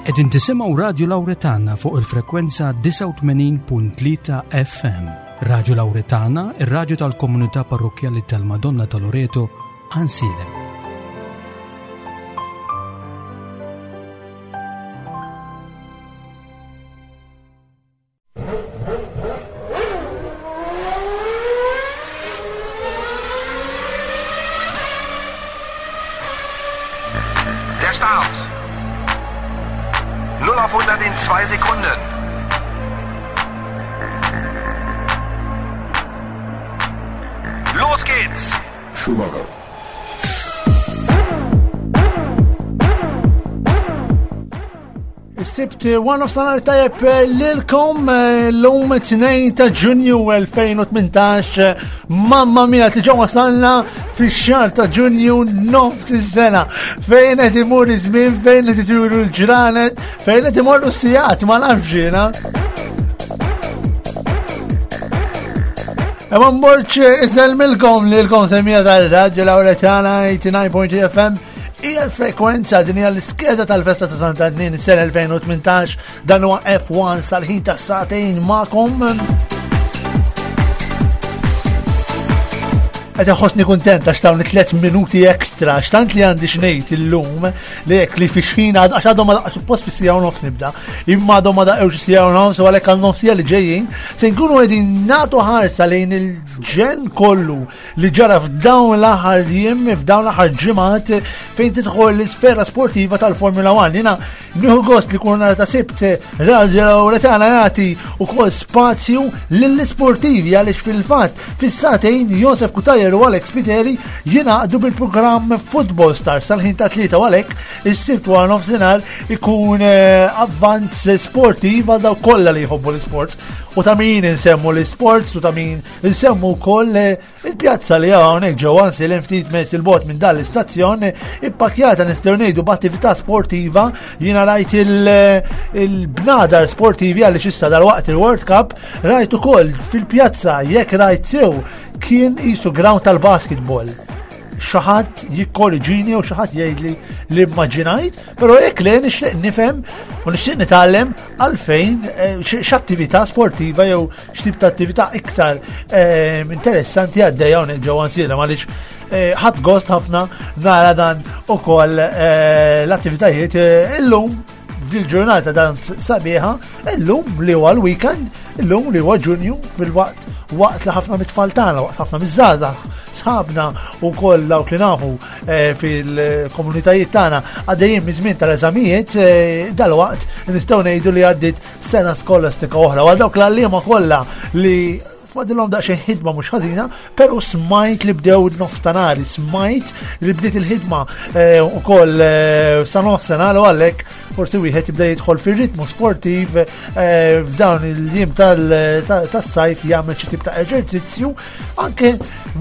Qegħdin tisimgħu Radju Lawretana fuq il-frekwenza 89.3 FM. Radju Lawretana, ir-radju tal-komunità parrokkjali tal-Madonna ta' Loreto, Għansielem. Der Start. 0 auf 100 in 2 Sekunden. Los geht's. Schumacher. Is-Sibt one of sanar tajjeb eh, lilkom eh, l-lum 2 ta' Ġunju 2018 mamma mia li ġew wasalna fix-xahar ta' Ġunju nofs is-sena fejn qed imur iż-żmien fejn qed itiru l-ġranet fejn qed imorru s-sigħat ma nafx jiena. Evan Borċ isellmilkom lilkom semmija tal-Radio Lauretana 89.3 FM Hija l-frekwenza din hija l-iskeda tal-festa ta' Santa Antnin is-sena 2018 dan huwa F1 sal-ħin ta' sagħtejn magħkom. Qed iħossni kuntent għax dawn it-tliet minuti ekstra għax tant li għandi xnejt illum li hekk li fi xħin għax għadhom ma suppost fi sija u nofs nibda, imma għadhom ma daqgħux sija u nofs u għalhekk għal nofsija li ġejjin se nkunu qegħdin nagħtu ħarsa lejn il-ġen kollu li ġara f'dawn l-aħħar jiem, f'dawn l-aħħar ġimgħat fejn tidħol l-isfera sportiva tal-Formula 1. Jiena nieħu gost li kun nhar ta' Sibt Radio Lauretana jagħti wkoll spazju lill-isportivi għaliex fil-fatt fis-sagħtejn Josef Cutajar u Alex Spiteri jingħaqdu bil-programm Football Stars sal-ħin ta' tlieta u għalhekk is-Sibt wara nofsinhar ikun eh, avvanz sportiv għal dawk kollha li jħobbu l-isports u ta' min insemmu l-isports u ta' min Insemmu wkoll eh, il-pjazza li hawnhekk ġewwa Nsilem ftit metri 'l bogħod minn dan l-istazzjon eh, ippakjata nistgħu ngħidu b'attività sportiva jiena rajt eh, il-bnadar sportivi għaliex issa dal-waqt il-World Cup rajt ukoll fil-pjazza jekk rajt sew kien qisu ground tal-basketball xi ħadd jikkorriġini u xi ħadd jgħidli li immaġinajt, però jekk le nixtieq nifhem u nixtieq nitgħallem għalfejn eh, x'attività sportiva jew x'tip ta' attività iktar eh, interessanti għaddejja hawnhekk ġewwa Nsielem għaliex eh, ħadd gost ħafna nara dan ukoll l-attivitajiet illum dil-ġurnata dan sabiħa, illum li huwa l-weekend, illum li huwa Ġunju fil-waqt waqt li ħafna mit-tfal tagħna, waqt ħafna miż-żgħażagħ sħabna u koll dawk li nafu eh, fil-komunitajiet tagħna għaddejjin miż-żmien tal-eżamijiet eh, dal-waqt nistgħu ngħidu li għaddiet sena skolastika oħra. Għal dawk l-għalliema kollha li fadilhom daqsxejn ħidma mhux ħażina, però smajt li bdew nofstanari, smajt li bdiet il-ħidma eh, ukoll eh, sa nofsinhar u għalhekk forsi wieħed jibda jidħol fir-ritmu sportiv eh, f'dawn il-jiem tas-sajf jagħmel xi tip ta' eżerċizzju, anke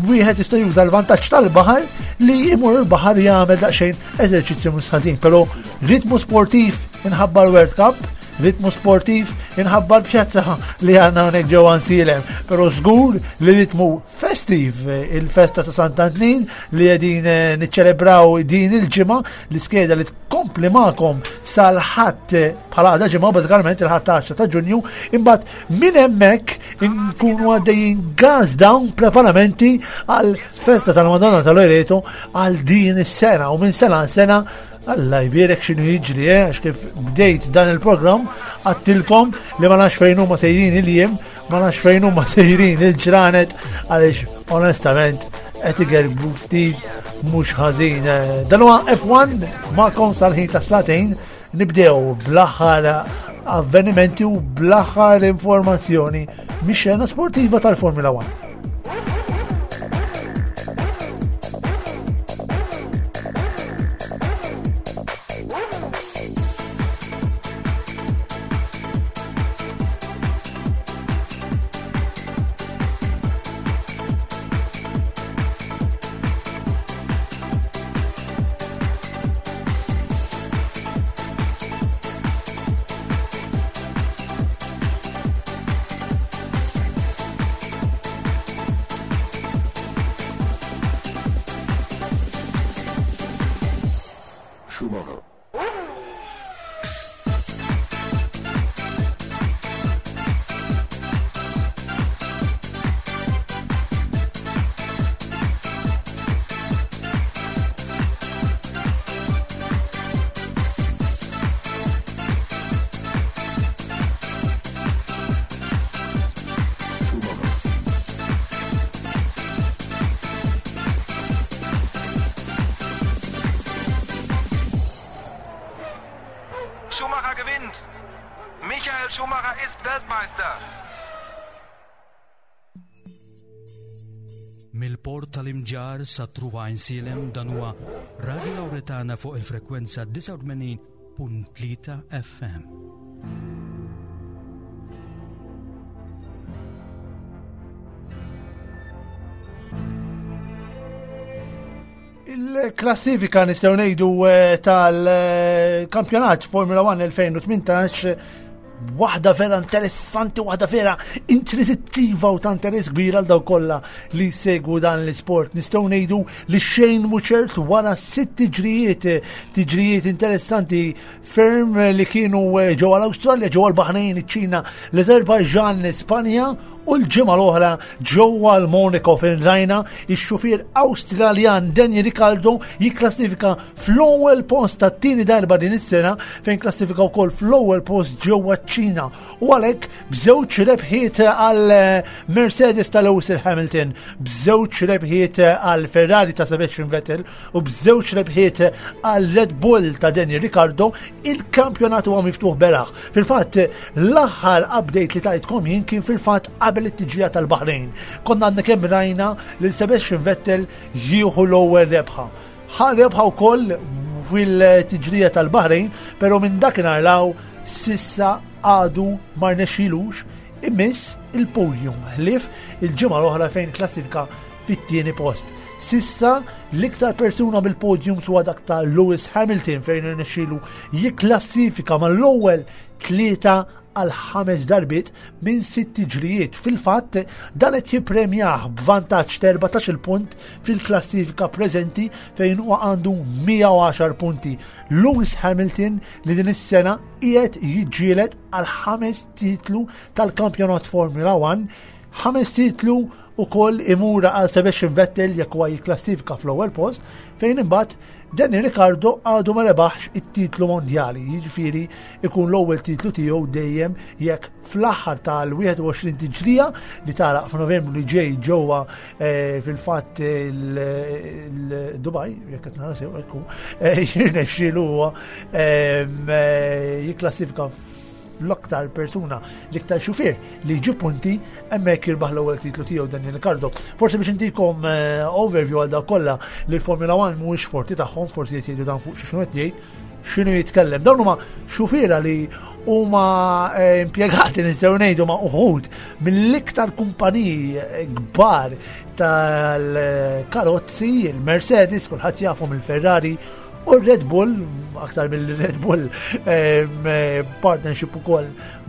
wieħed jista' juża l-vantaġġ tal-baħar li jmur il-baħar jagħmel daqsxejn eżerċizzju mhux ħażin, però ritmu sportiv inħabba l-World Cup Ritmu sportiv inħabba l-pjazza li għanna hawnhekk ġewwa Nsielem, però żgur li ritmu festiv il-festa ta' Sant'Antnin li qegħdin eh, niċċelebraw din il-ġimgħa l-iskeda li tkompli magħkom sal-ħadd eh, bħala għada ġimgħa bażikament il-ħadd 10 ta' Ġunju, imbagħad minn hemmhekk nkunu għaddejjin gas down preparamenti għal festa tal-Madonna tal-Loreto għal din is-sena u minn sena għal sena Alla jbierek x'inhu jiġri, eh, għax kif bdejt dan il-programm għattilkom li ma nafx fejn huma sejrin il-jiem, ma nafx fejn huma sejrin il-ġranet għaliex onestament qed igerbu ftit mhux ħażin. Eh, dan huwa F1 magħkom sal-ħin ta' sagħtejn nibdew bl-aħħar avvenimenti u bl-aħħar informazzjoni mix-xena sportiva tal-Formula 1. Schumacher. Michael Schumacher ist Weltmeister. Mill-port tal-Imġarr sa Truva Għajnsielem dan huwa Radio Lauretana fuq il-frekwenza 89.3 FM. Il-klassifika nistgħu ngħidu eh, tal-kampjonat Formula 1 2018 waħda vera interessanti, waħda vera intrisittiva u ta' interess kbir għal daw kollha li segwu dan l-isport. Nistgħu ngħidu li xejn mhu ċert wara sitt tiġrijiet, tiġrijiet interessanti ferm li kienu eh, ġewwa l-Awstralja, ġewwa l-Baħrejn, iċ-Ċina, l-Azerbajġan, l-Ispanja u l-ġimgħa l-oħra ġewwa l-Monaco fejn rajna ix-xufier Awstraljan Daniel Ricciardo jikklassifika fl-ewwel post tat-tieni darba din is-sena fejn klassifika wkoll fl-ewwel post ġewwa ċ-Ċina u għalhekk b'żewġ rebħiet għal Mercedes ta' Lewis Hamilton, b'żewġ rebħiet għal Ferrari ta' Sebastian Vettel u b'żewġ rebħiet għal Red Bull ta' Daniel Ricciardo, il-kampjonat huwa miftuħ beraħ. Fil-fatt, l-aħħar update li tajtkom jien kien fil-fatt qabel it-tiġrija tal-Baħrejn. Konna għandna kemm rajna lil Sebastian Vettel jieħu l-ewwel rebħa. Ħa rebħa wkoll fil-tiġrija tal-Baħrejn, però minn dakinhar law sissa għadu ma rnexxilux imiss il-podium ħlief il-ġimgħa l-oħra fejn klassifika fit-tieni post. Sissa l-iktar persuna bil-podium huwa dak ta' Lewis Hamilton fejn irnexxielu jikklassifika mal-ewwel tlieta għal ħames darbiet minn sitt tiġrijiet. Fil-fatt, dan qed jippremjah b'vantaġġ ta' 14 punt fil-klassifika preżenti fejn huwa għandu 110 punti. Lewis Hamilton li din is-sena qiegħed jiġġieled għal ħames titlu tal-kampjonat Formula 1, ħames titlu ukoll imur għal Sebastian Vettel jekk huwa jikklassifika fl-ewwel post, fejn imbagħad Danny Ricciardo għadu ma rebaħx it-titlu mondjali, jiġifieri ikun l-ewwel titlu tiegħu dejjem jekk fl-aħħar tal-21 tiġrija li tagħlaq f'Novembru li ġej ġewwa eh, fil-fatt il-Dubai, jekk qed nara sew ekku, eh, jirnexxielu huwa eh, jikklassifika l-aktar persuna, l-iktar xufier li jġib punti hemmhekk jirbaħ l-ewwel titlu tiegħu Daniel Ricciardo. Forsi biex intikom eh, overview għal dak kollha li l-Formula 1 mhuwiex forti tagħhom, forsi qed jgħidu dan fuq xi qed jgħid x'inhu jitkellem. Dawn huma xufiera li huma eh, impjegati nistgħu ngħidu ma' uħud mill-iktar kumpaniji eh, kbar tal-karozzi, il-Mercedes, kulħadd jafhom il-Ferrari U Red Bull, aktar mill-Red Bull, eh, partnership ukoll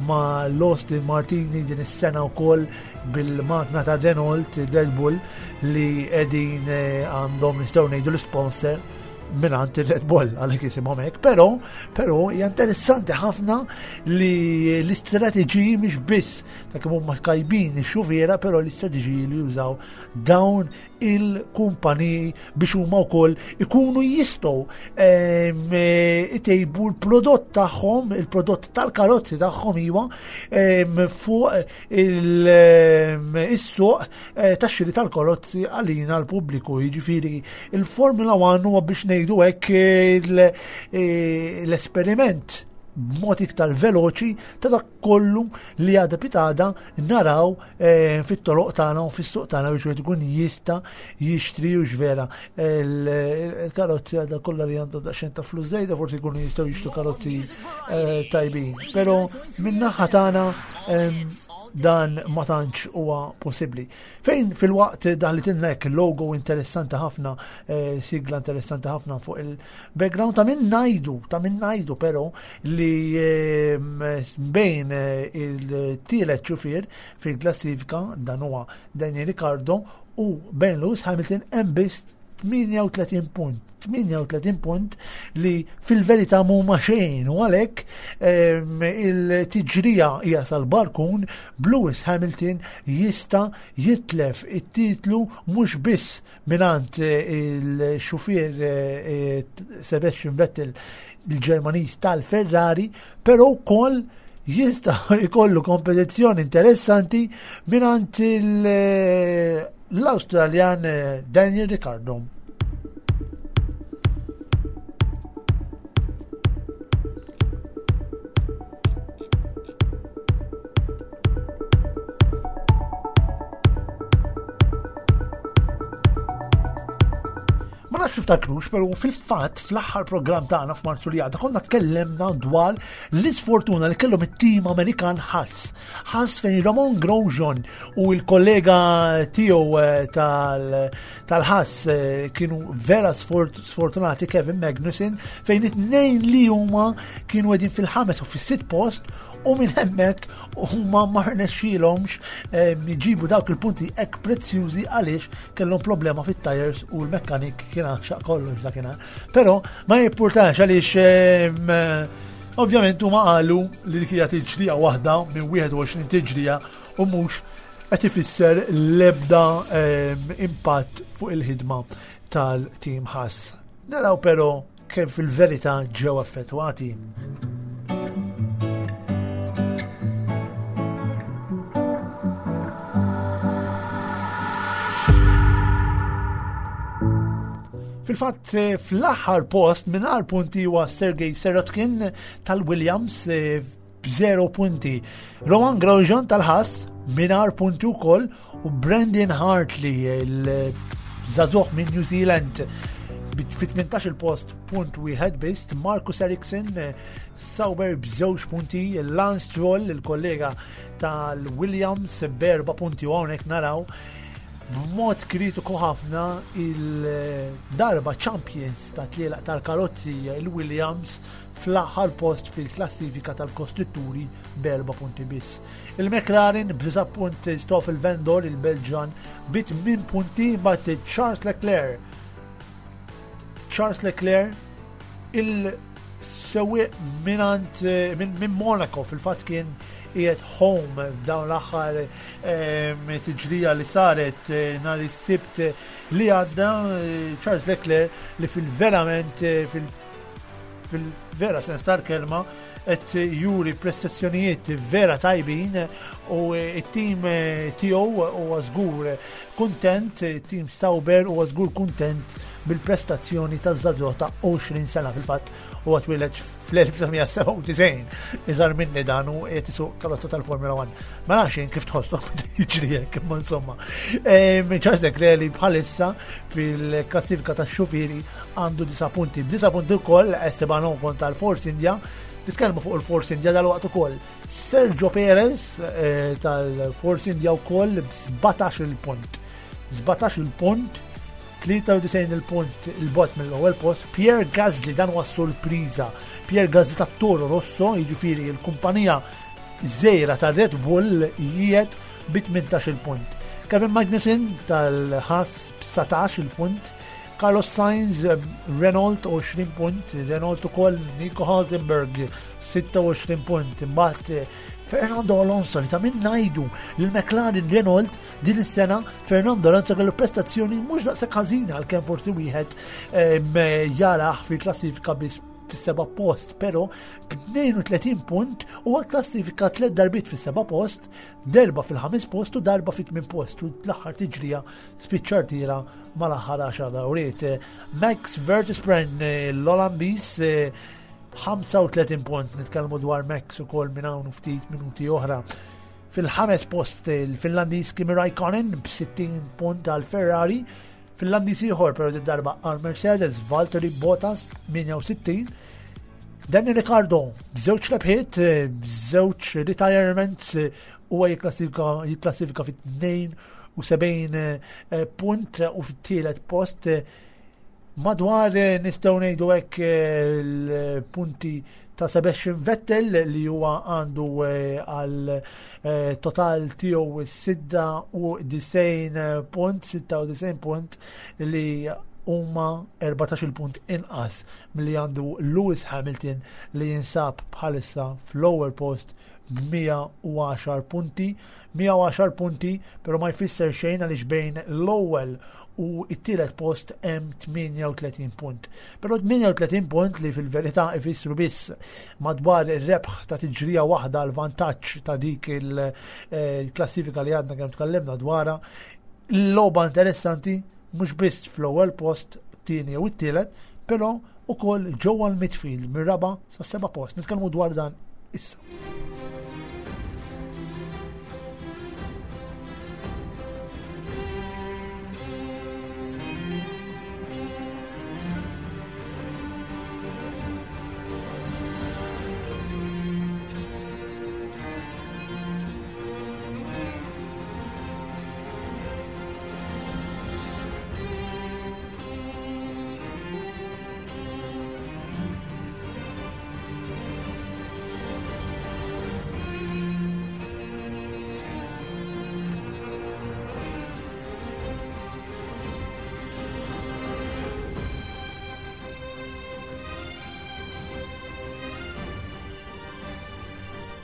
ma' l-Austin Martini din is-sena wkoll bil-magna ta' Renault, Red Bull, li qegħdin eh, għandhom nistgħu ngħidu l-sponsor minant il-Red Bull għalhekk jisimhom hekk, però però hija interessanti ħafna li l-istrateġiji mhix biss ta' kemm huma kajbin ix-xufiera, però l-istrateġiji li jużaw dawn il-kumpaniji biex huma wkoll ikunu jistgħu ehm, itejbu l-prodott tagħhom, il-prodott tal-karozzi tagħhom iwa ehm, fuq ehm, is-suq eh, tax-xiri tal-karozzi għalina l-pubbliku. Jiġifieri il-Formula 1 huwa biex ngħidu hekk eh, l-esperiment b'mod iktar veloċi ta' dak kollu li għada pitada naraw eh, fit-toroq tagħna u fis-suq tagħna biex wieħed ikun jista' jixtri u x'vera il-karozzi għadha kollha li għandhom daqsxejn ta' flus żejda forsi jkunu jistgħu jixtru karozzi eh, tajbin. Però min-naħa tagħna dan ma tantx huwa possibbli. Fejn fil-waqt daħlitilna hekk logo interessanti ħafna, eh, sigla interessanti ħafna fuq il-background ta' min ngħidu, ta' min ngħidu però li ehm, bejn eh, il-tielet ċufier fil-klassifika dan huwa Daniel Ricciardo u bejn Lewis Hamilton hemm biss 38 punt. 38 punt li fil-verità mhuma xejn u għalhekk ehm, il-tiġrija hija sal-barkun b'Lewis Hamilton jista' jitlef it-titlu mhux biss mingħand eh, il-xufier eh, eh, Sebastian Vettel il-Ġermaniż tal-Ferrari, però wkoll jista' jkollu kompetizzjoni interessanti mingħand l-Awstraljan Daniel Ricciardo. tiftakrux, pero fil-fatt fl-aħħar programm tagħna f'Marzu li għadda konna tkellemna dwar l-isfortuna li kellhom it-tim Amerikan Haas. Haas fejn Ramon Grosjean u l-kollega tiegħu eh, tal-Haas eh, kienu vera sfortunati Kevin Magnussen fejn it-tnejn li huma kienu qegħdin fil-ħames u fis-sitt post u minn hemmhekk huma ma rnexxielhomx ehm, jġibu dawk il-punti hekk prezzjużi għaliex kellhom problema fit-tires u l-mekkanik kien għaxaq kollox dakinhar. Però ma jippurtax għaliex ehm, ovvjament huma qalu li dik hija tiġrija waħda minn 21 tiġrija u mhux qed ifisser l-ebda ehm, impatt fuq il-ħidma tal-tim Haas. Naraw però kemm fil-verità ġew affettwati. Fil-fatt, eh, fl-aħħar post mingħajr punti huwa Sergej Serotkin tal-Williams eh, b'zero punti. Roman Grosjean tal-Haas mingħajr punti wkoll u Brandon Hartley il-żagħżugħ minn New Zealand fit-18 il-post punt wieħed biss, Marcus Ericsson Sauber b'żewġ punti, Lance Stroll il-kollega tal-Williams b'erba' punti u hawnhekk naraw b'mod kritiku ħafna il-darba champions ta' tlielaq tal-karozzi il-Williams fl-aħħar post fil-klassifika tal-kostrutturi b'erba' punti biss. Il-McLaren b'disa' punt Stoffel Vendor il-Belġan bi tmien punti mbagħad Charles Leclerc Charles Leclerc il-sewwieq minant minn Monaco fil-fatt kien qiegħed home f'dawn l-aħħar ehm, tiġrija li saret eh, nhar is-Sibt li għadda eh, Charles Leclerc li fil-verament eh, fil fil-vera sens tal-kelma qed juri prestazzjonijiet vera tajbin u it-tim tiegħu huwa żgur kuntent, it-tim Sauber huwa żgur kuntent bil-prestazzjoni taż-żagħżugħ ta' 20 sena fil-fatt huwa twieled fl-1997 iżgħar minni dan u qed isuq karozza tal-Formula 1. Ma nafx jien kif tħossok meta jiġri hekk imma insomma. Charles Leclerc li bħalissa fil-klassifika tax-xufieri għandu disa' punti. B'disa' punti wkoll Esteban Ocon tal-Force India. Nitkellmu fuq il-Force India dal-waqt ukoll. Sergio Perez eh, tal-Force India wkoll b'17 il-punt. 17 il-punt, 93 il-punt il-bot mill-ewwel post. Pierre Gasly dan huwa sorpriża. Pierre Gasly tat-Toro Rosso, jiġifieri l-kumpanija żejra ta' Red Bull jiet bi 18 il-punt. Kevin Magnussen tal-Haas b'19 il-punt. Carlos Sainz, Renault 20 punt, Renault ukoll Nico Hulkenberg 26 punt, imbagħad eh, Fernando Alonso li ta' min ngħidu li l-McLaren Renault din is-sena Fernando Alonso kellu prestazzjoni mhux daqshekk ħażina għalkemm forsi wieħed eh, jaraħ fil-klassifika biss fis-seba' post, però b'32 punt huwa klassifika tliet darbiet fis-seba' post, derba fil-ħames post u darba fit-tmien post u l-aħħar tiġrija spiċċa rtira mal-aħħar 10 dawriet. Max Verstappen l-Olandiż 35 punt nitkellmu dwar Max ukoll minn hawn ftit minuti oħra. Fil-ħames post il-Finlandiż Kimi Raikkonen b'60 punt għal Ferrari, Finlandiż ieħor però darba għal Mercedes Valtteri Bottas 68 Danny Ricardo b'żewġ rebħiet, b'żewġ retirements huwa jikklassifika fit-72 eh, punt u fit-tielet post eh, madwar eh, nistgħu ngħidu hekk l-punti ta' Sebastian Vettel li huwa għandu għal total tiegħu 96 punt, 96 punt li huma 14 punt inqas milli għandu Lewis Hamilton li jinsab bħalissa fl-ewwel post b'110 punti. 110 punti, pero ma jfisser xejn għaliex bejn l-ewwel u t-tielet post hemm 38 punt. Però 38 punt li fil-verità ifissru biss madwar ir-rebħ ta' tiġrija waħda l vantaġġ ta' dik il-klassifika li għadna kemm tkellimna dwarha. L-logħba interessanti mhux biss fl-ewwel post, tieni u t-tielet, però ukoll ġewwa l-midfield mir-raba' sa seba' post. Nitkellmu dwar dan issa.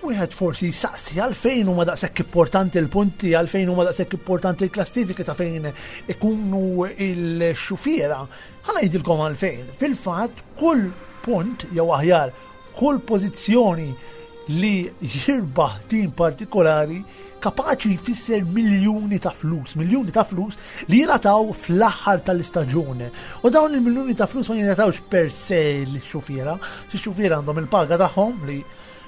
Wieħed forsi jsaqsi għalfejn huma daqshekk importanti l-punti, għalfejn huma daqshekk importanti l-klassifiki ta' fejn ikunu il-xufiera. Ħa ngħidilkom għalfejn. Fil-fatt kull punt jew aħjar kull pożizzjoni li jirbaħ tim partikolari kapaċi jfisser miljuni ta' flus, miljuni ta' flus li jingħataw fl-aħħar tal-istaġun. U dawn il-miljuni ta' flus ma jingħatawx per se l-xufiera, xi xufiera għandhom il-paga tagħhom li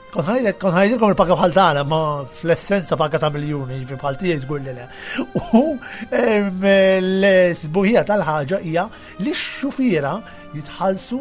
Kont ħajdilkom il-paga bħal tagħna, ma fl-essenza paga ta' miljuni, jiġifieri bħal tiegħi żgur li le. U l-sbuħija tal-ħaġa hija li x-xufiera jitħallsu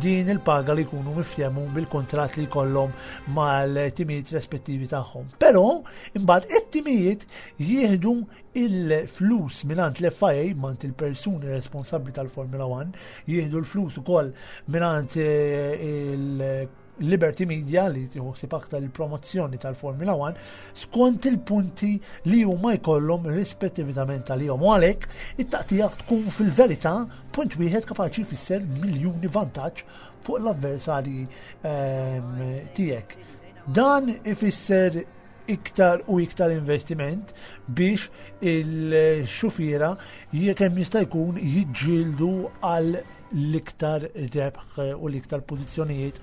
din il-paga li jkunu miftehmu bil-kuntratt li jkollhom mal-timijiet rispettivi tagħhom. Però imbagħad it-timijiet jieħdu il-flus mingħand l-FIA, mingħand il-persuni responsabbli tal-Formula 1, jieħdu l-flus ukoll mingħand eh, il- Liberty Media li tieħu aktar il-promozzjoni tal-Formula 1 skont il-punti li huma jkollhom rispettivament għalihom. U għalhekk it-taqtija tkun fil-verità punt wieħed kapaċi jfisser miljuni vantaġġ fuq l-avversarji ehm, tiegħek. Dan ifisser iktar u iktar investiment biex il-xufiera kemm jista' jkun jiġġieldu għal l-iktar rebħ u l-iktar pożizzjonijiet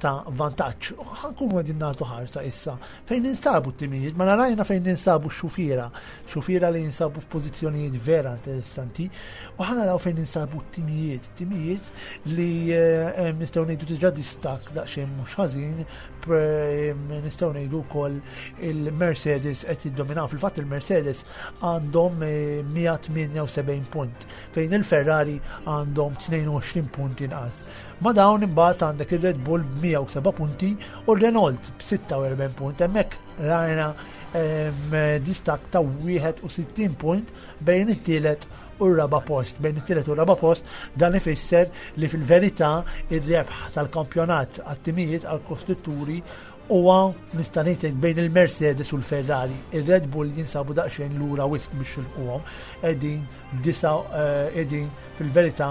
ta' vantaġġ. Ħankunu qegħdin nagħtu ħarsa issa fejn ninsabu t-timijiet, ma narajna fejn ninsabu x-xufiera, xufiera li jinsabu f'pożizzjonijiet vera interessanti, u ħanaraw fejn ninsabu t-timijiet, timijiet li eh, nistgħu ngħidu diġà distak daqsxejn mhux ħażin, nistgħu ngħidu wkoll il-Mercedes qed jiddominaw. Fil-fatt il-Mercedes għandhom 178 eh, punt. fejn il-Ferrari għandhom 22 punt inqas. Ma dawn imbagħad għandek ir-Red Bull b'107 punti u r-Renault b'46 punt. Hemmhekk rajna distak ta' 61 punt bejn it-tielet u r-raba post. Bejn it-tielet u r-raba post dan ifisser li fil-verità ir-rebħ tal-kampjonat għat-timijiet għall-kostrutturi Huwa nista' ngħidlek bejn il-Mercedes u l-Ferrari. Ir-Red Bull jinsabu daqsxejn lura wisq biex jilħquhom. Qegħdin b'disa' eh, qegħdin fil-verità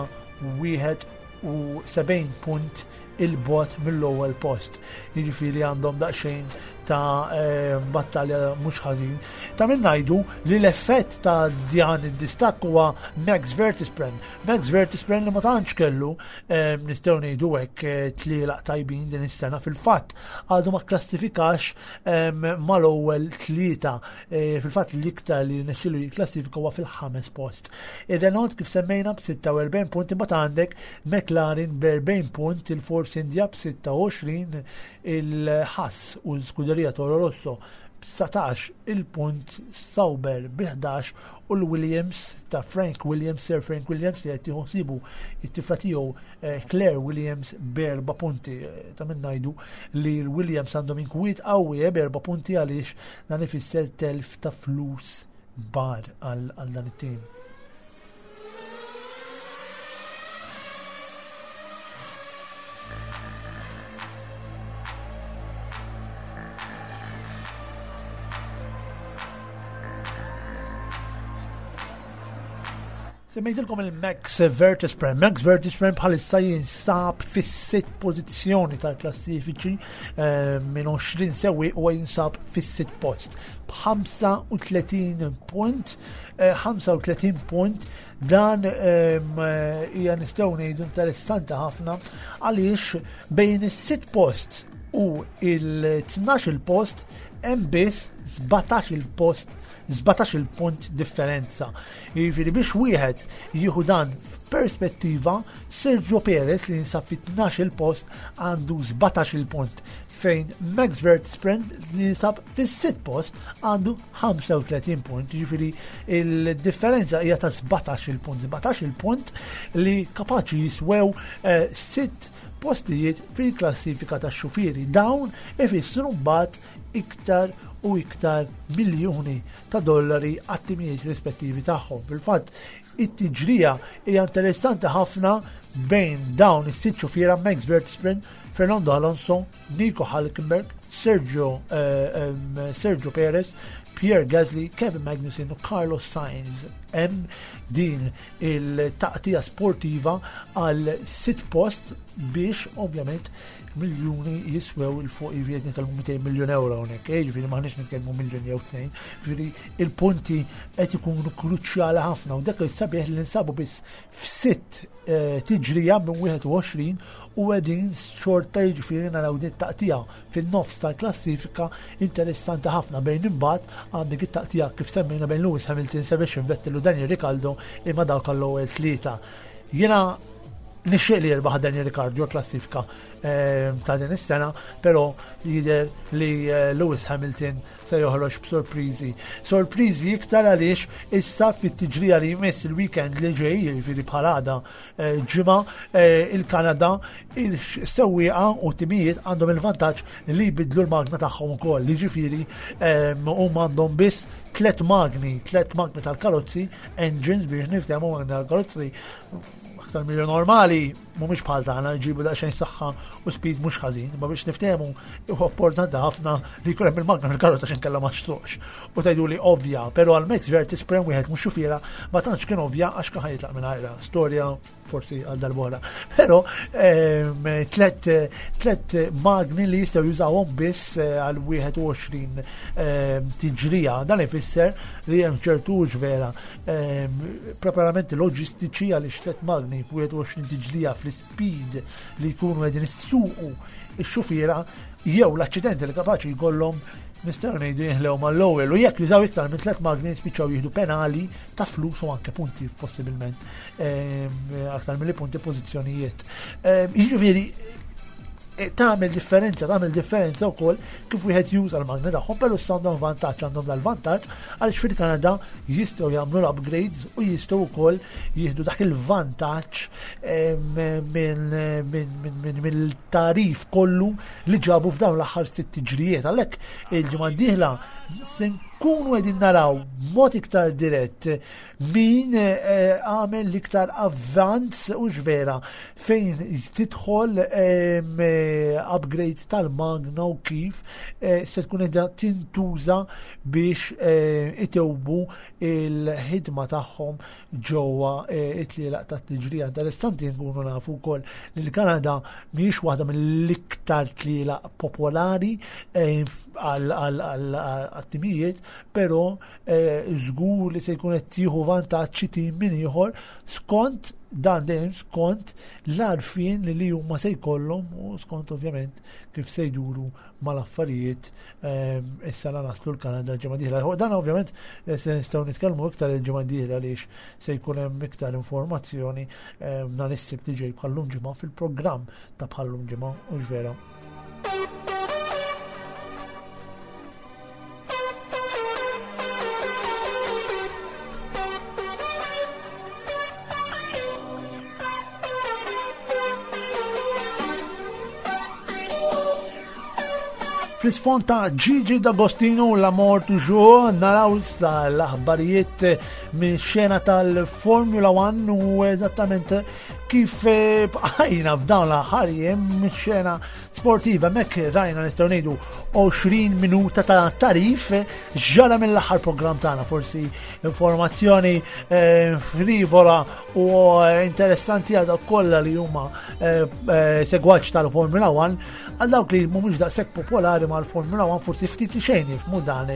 71 punt il-bot mill-ewwel post. Jiġifieri għandhom daqsxejn ta' eh, battalja mhux ħażin. Ta' min ngħidu li l-effett ta' dan id-distakk huwa Max Verstappen. Max Verstappen li ma tantx kellu eh, nistgħu ngħidu hekk eh, tlielaq tajbin din is-sena fil-fatt għadu ma klassifikax mal-ewwel tlieta. Fil-fatt l-iktar li nexxilu jikklassifika huwa fil-ħames post. Ir-Renault kif semmejna b'46 punt imbagħad għandek McLaren b'40 punt, il-Force India b'26, il-Haas u l-Scuderia Toro Rosso b'19 il-punt, Sauber bi 11 u l-Williams ta' Frank Williams, Sir Frank Williams li qed jieħu ħsiebu it-tifla tiegħu eh, Claire Williams b'erba' punti. Eh, ta' min ngħidu li l-Williams għandhom inkwiet qawwi eh, b'erba' punti għaliex dan ifisser telf ta' flus bar għal dan it-tim. Semmejtilkom il-Max Vertespren. Max Vertespren bħalissa jinsab fis-sitt pożizzjoni tal-klassifiċi eh, minn 20 sewi u jinsab fis-sitt post. B'35 punt, 35 eh, punt dan ehm, hija nistgħu ngħidu interessanti ħafna għaliex bejn is-sitt post u il-12 post hemm biss 17 il-post 17 punt differenza. Jiġifieri biex wieħed jieħu dan f'perspettiva, Sergio Perez li jinsab fit-12 post għandu 17 punt fejn Max Verstappen li jinsab fis-sitt post għandu 35 punt, jiġifieri il-differenza hija ta' 17 punt, 17 punt li kapaċi jiswew eh, sitt postijiet fil-klassifika tax-xufieri. Dawn ifissru mbagħad iktar u iktar miljuni ta' dollari għat-timijiet rispettivi tagħhom. Fil-fatt, it-tiġrija hija interessanti ħafna bejn dawn is-sitt xufiera Max Verstappen, Fernando Alonso, Nico Hulkenberg, Sergio, eh, Sergio Perez, Pierre Gasly, Kevin Magnussen u Carlos Sainz. hemm din il-taqtija sportiva għal sitt post biex ovvjament miljuni jiswew il fuq jiġifieri qed nitkellmu 200 miljun euro hawnhekk, eh, jiġifieri m'aħniex nitkellmu miljun jew tnejn, jiġifieri il-punti qed ikunu kruċjali ħafna u dak il-sabiħ li nsabu biss f'sitt eh, tiġrija minn 21 u qegħdin xorta jiġifieri naraw din taqtija fin-nofs tal-klassifika interessanti ħafna bejn imbagħad għandek it-taqtija kif semmejna bejn Lewis Hamilton, Sebastian Vettel u Daniel Ricciardo imma dawk għall-ewwel tlieta. Jiena nixtieq li jirbaħ Daniel Ricciardo l-klassifika eh, ta' din is-sena, però jidher li eh, Lewis Hamilton se joħroġ b'sorpriżi. Sorpriżi iktar għaliex issa fit-tiġrija li jmiss il-weekend li ġej, jiġifieri bħal għada eh, ġimgħa, eh, il-Kanada, il-sewwieqa u timijiet għandhom il-vantaġġ li jbidlu l-magna tagħhom ukoll. Jiġifieri eh, huma għandhom biss tlet magni, tlet magni tal-karozzi, engines biex niftehmu magni tal-karozzi aktar milli normali mhumiex bħal tagħna jġibu daqsxejn saħħa u speed mhux ħażin, imma biex niftehmu huwa importanti ħafna li jkun hemm il-magna fil-karozza x'in kellha ma xtuqx. U tgħidu li ovvja, però għal Max Verstappen wieħed mhux xufiera ma tantx kien ovvja għax kien jitlaq minn ħajra. Storja forsi għal darbora. Però ehm, tlet tlet magni li jistgħu jużawhom biss eh, għal 21 ehm, tiġrija. Dan ifisser li hemm ċertu vera Ehm, preparamenti loġistiċi għaliex tlet magni 21 tiġlija fl-speed li jkunu qegħdin issuqu ix-xufiera jew l-aċċidenti li kapaċi jkollhom nistgħu ngħidu jinħlew mal-ewwel u jekk jużaw iktar minn tlet magni spiċċaw jieħdu penali ta' flus u anke punti possibilment ehm, aktar milli punti pożizzjonijiet. Ehm, jiġifieri Eh, tagħmel differenza, tagħmel differenza wkoll kif wieħed juża l-magni tagħhom, però issa għandhom vantaġġ, għandhom dal-vantaġġ għaliex fil-Kanada jistgħu jagħmlu l-upgrades u jistgħu wkoll jieħdu dak il-vantaġġ eh, mill-tarif kollu li ġabu f'dawn l-aħħar sitt tiġrijiet. Għalhekk il-ġimgħa d-dieħla se nkunu qegħdin naraw b'mod iktar dirett min eh, għamel l-iktar avvanz u vera fejn tidħol eh, upgrade tal-magna u kif eh, se tkun edha tintuża biex itewbu il-ħidma tagħhom ġewwa it-tlielaq tat-tiġrija. Interessanti nkunu nafu wkoll li l-Kanada mhijiex waħda mill-iktar tlielaq popolari għal-timijiet, però Eh, żgur li se jkun qed jieħu vantaġġ xi tim minn ieħor skont dan dejjem skont l-għarfien li huma se jkollhom u skont ovvjament kif se jduru mal-affarijiet eh, issa la naslu l-Kanada l-ġimgħa dieħla. Dan ovvjament eh, se nistgħu nitkellmu iktar il-ġimgħa dieħla għaliex se jkun hemm iktar informazzjoni nhar is-Sibt li ġej bħallum ġimgħa fil-programm ta' bħallum ġimgħa u vera. Fl-isfond ta' Gigi D'Agostino la mort toujours naraw issa l-aħbarijiet minn xena tal-Formula 1 u eżattament kif eh, bqajna f'dawn l-aħħar jiem mix-xena sportiva hemmhekk rajna nistgħu ngħidu 20 minuta ta' tarif ġara mill-aħħar programm tagħna forsi informazzjoni eh, frivola u interessanti għal dawk kollha li huma eh, eh, segwaċ tal-Formula 1 għal dawk li mhumiex daqshekk popolari mal-Formula 1 forsi ftit li xejn jifhmu dan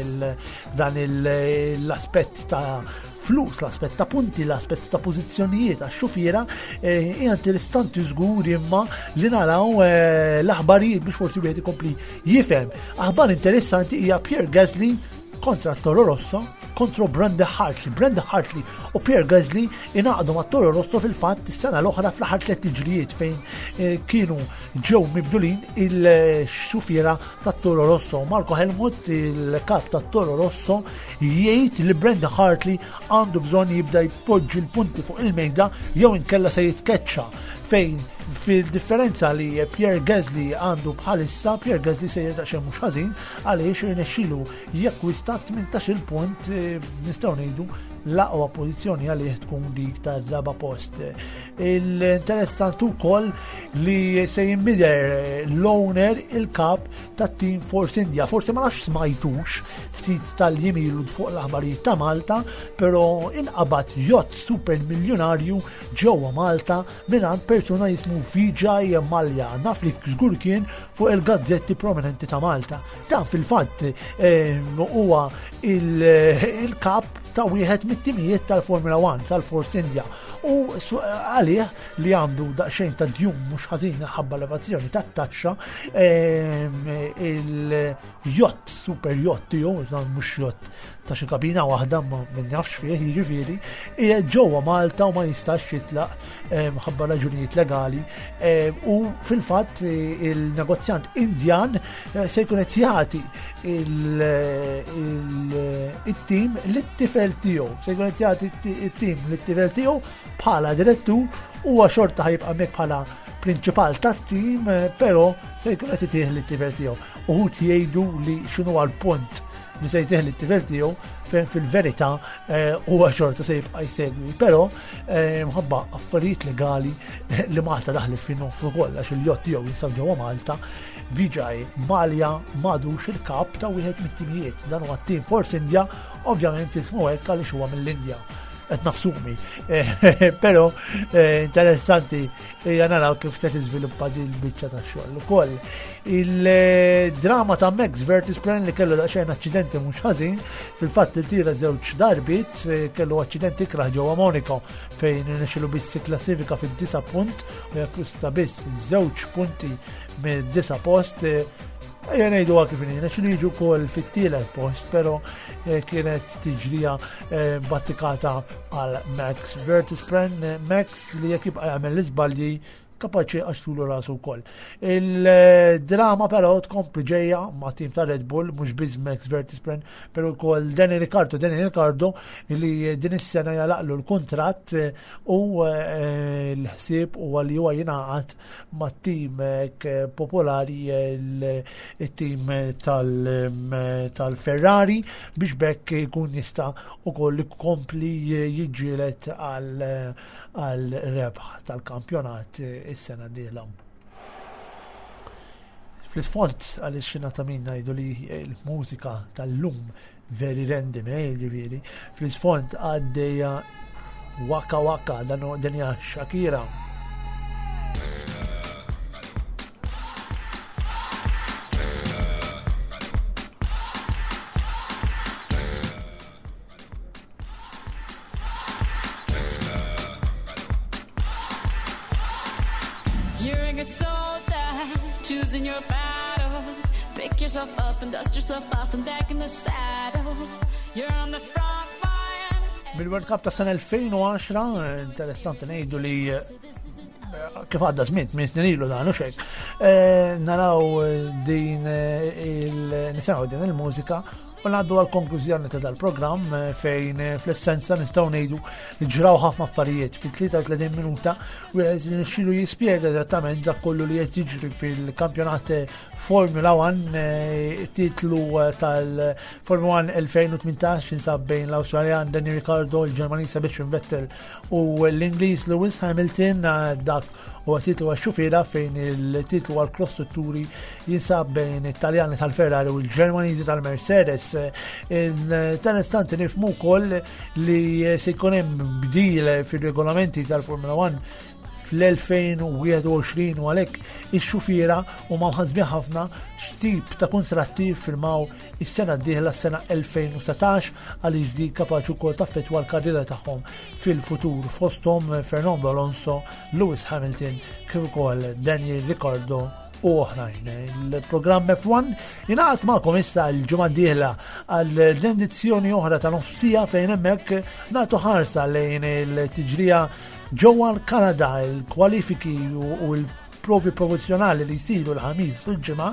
l-aspett ta' flus, l-aspett ta' punti, l-aspett ta' pożizzjonijiet għax xufiera eh, hija interessanti żgur imma li naraw eh, l-aħbarijiet biex forsi wieħed ikompli jifhem. Aħbar interessanti hija Pierre Gasly kontra Toro Rosso kontro Brenda Hartley. Brenda Hartley u Pierre Gasly inaqdu ma' Toro Rosso fil-fatt is-sena l-oħra fl-aħħar tliet tiġrijiet fejn eh, kienu ġew mibdulin il-xufiera ta' Toro Rosso. Marco Helmut, il-kap ta' Toro Rosso, jgħid li Brenda Hartley għandu bżonn jibda jpoġġi l-punti fuq il-mejda jew inkella se jitkeċċa fejn Fil-differenza li Pierre Gasly għandu bħalissa, Pierre Gasly sejjer daqsxejn mhux ħażin għaliex irnexxielu jakkwista 18-il punt eh, nistgħu ngħidu l-aqwa pożizzjoni għalih tkun dik tar-raba post. Il-interessanti wkoll li se jinbidel l-owner il-kap tat-tim Force India. Forse ma nafx smajtux ftit tal-jiem ilu fuq l-aħbarijiet ta' Malta, però inqabad jott super miljonarju ġewwa Malta mingħand persuna jismu Vijay Mallya. Naf li żgur kien fuq il-gazzetti prominenti ta' Malta. Dan fil-fatt eh, huwa il-kap ta' wieħed mit-timijiet tal-Formula 1 tal-Force India u għalih li għandu daqsxejn ta' djum mhux ħażin ħabba l-evazzjoni tat-taxxa ehm, il-jott, super jott tiegħu, mhux jott ta' xi kabina waħda ma min nafx fih, jiġifieri, qiegħed ġewwa Malta u ma jistax jitlaq ehm, ħabba raġunijiet legali ehm, u fil-fatt il-negozjant Indjan eh, se jkun qed jagħti il-tim lit-tifel tiegħu, se jkun qed jagħti it-tim lit-tifel tiegħu bħala direttur huwa xorta ħajibqa' mek bħala prinċipal tat-tim, eh, però se jkun qed itih lit-tifel tiegħu. Uħud jgħidu li x'inhu għall-punt li se jtih lit-tifel tiegħu fejn fil-verità eh, huwa xorta se jibqa' jsegwi. Però eh, mħabba affarijiet legali li Malta daħlet fin nofs ukoll għax il-jott tiegħu jinsab ġewwa Malta, Vijay Malja m'għadux il-kap ta' wieħed mit-timijiet. Dan huwa t-tim Force India, ovvjament jismu hekk għaliex huwa mill-Indja qed nafsumi. Però eh, interessanti hija naraw kif se tiżviluppa din il-biċċa tax-xogħol ukoll. Il-drama ta' Max Vertispren li kellu daqsxejn aċċidenti mhux ħażin, fil-fatt irtira żewġ darbiet, eh, kellu aċċidenti ikrah ġewwa Monaco fejn nexxilu biss klassifika fid-disa punt u jakkwista biss żewġ punti mid-disa post. Eh, ejja ngħidu kif inhi, nexxilu jiġu wkoll fit-tielet post, però eh, kienet tiġrija battikata għal Max Vertispren. Max li jekk jibqa' jagħmel l-iżbalji kapaċi għaxtulu rasu wkoll. Il-drama però tkompli ġejja ma' tim ta' Red Bull, mhux biss Max Verstappen, però wkoll Danny Ricciardo, Danny Ricciardo li din is-sena jalaqlu l-kuntratt u eh, l-ħsieb huwa li huwa jingħaqad mat-tim eh, popolari il-tim tal-Ferrari biex bekk jkun jista' ukoll ikompli jiġġieled għal rebħ tal-kampjonat is-sena d-dieħla. Fl-isfond għaliex xina ta' min ngħidu li l-mużika tal-lum very random, eh, ġifieri. Fl-isfond għaddejja Waka Waka, dan hija Shakira. You're a good soldier, choosing your battle. Pick yourself up and dust yourself off and back in the saddle. You're on the front line. Bil-World Cup ta' sena 2010, interessanti ngħidu li eh, kif għadda żmien, minn snin ilu dan u xejn. Eh, naraw din eh, il-nisimgħu din il-mużika U ngħaddu għal konklużjoni ta' dal-programm eh, fejn eh, fl-essenza nistgħu ngħidu li ġraw ħafna affarijiet fit-33 minuta wieħed li nixxilu jispjega eżattament dak kollu li qed jiġri fil-kampjonat eh, Formula 1 titlu tal-Formula 1 2018 jinsab bejn l-Awstraljan Danny Ricciardo, il-Ġermaniż Sebastian Vettel u l-Ingliż Lewis Hamilton dak Huwa titlu għax-xufiera fejn il-titlu għall-kostrutturi jinsab bejn it-Taljani tal-Ferrari u l-Ġermaniżi tal-Mercedes. Interessanti nifhmu wkoll li se jkun hemm bdil fir-regolamenti tal-Formula 1 fl-2021 u għalhekk ix-xufiera huma mħassbin ħafna x'tip ta' kuntratti firmaw is-sena d-dieħla s-sena 2019 għaliex di kapaċi wkoll taffettwa l-karriera tagħhom fil-futur fosthom Fernando Alonso, Lewis Hamilton kif ukoll Daniel Ricciardo u oħrajn. Il-programm F1 jingħaqad magħkom issa l-ġimgħa d-dieħla għal rendizzjoni oħra ta' nofsija fejn hemmhekk nagħtu ħarsa lejn il-tiġrija ġewwa l-Kanada, il-kwalifiki u l provi promozzjonali li jsiru l-Ħamis u l-Ġimgħa,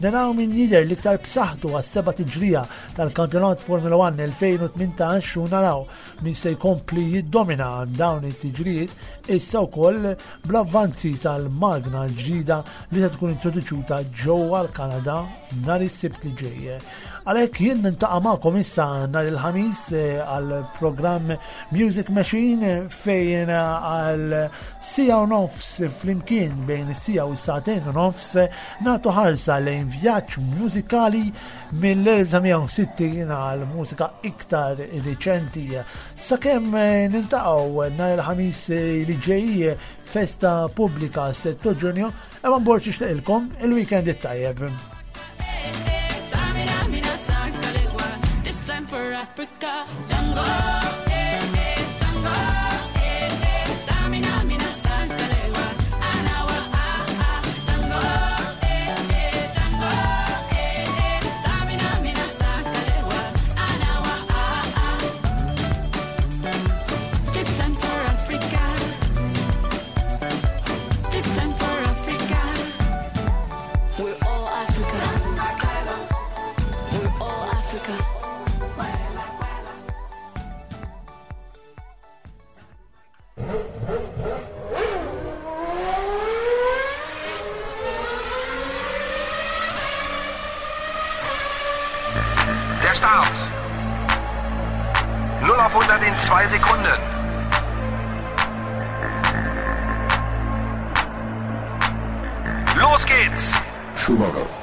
naraw min jidher l-iktar b'saħħtu għas-seba' tiġrija tal-Kampjonat Formula 1 2018 u naraw min se jkompli jiddomina dawn it-tiġrijiet issa wkoll bl-avvanzi tal-magna l-ġdida li se tkun introduċuta ġewwa l-Kanada nhar is-Sibt li ġej. Għalhekk jien nintaqa' magħkom issa nhar il-Ħamis eh, għal programm Music Machine fejn għal sija u nofs flimkien bejn sija u sagħtejn u nofs nagħtu ħarsa lejn vjaġġ mużikali mill-1960 għal mużika iktar riċenti. Sakemm eh, nintaqgħu nhar il-Ħamis eh, li ġej festa pubblika 6 Ġunju, Evan Borg ixtieqilkom il-weekend it-tajjeb. For Africa, Jungle, eh, eh, jungle, eh, eh, Samina, mina, Sankalewa, Anawa, ah, ah, jungle, eh, eh, jungle, eh, eh, Samina, mina, Sankalewa, Anawa, ah, ah. This time for Africa. This time for Africa. We're all Africa. We're all Africa. Der Start. 0 auf 100 in 2 Sekunden. Los geht's! Schumacher.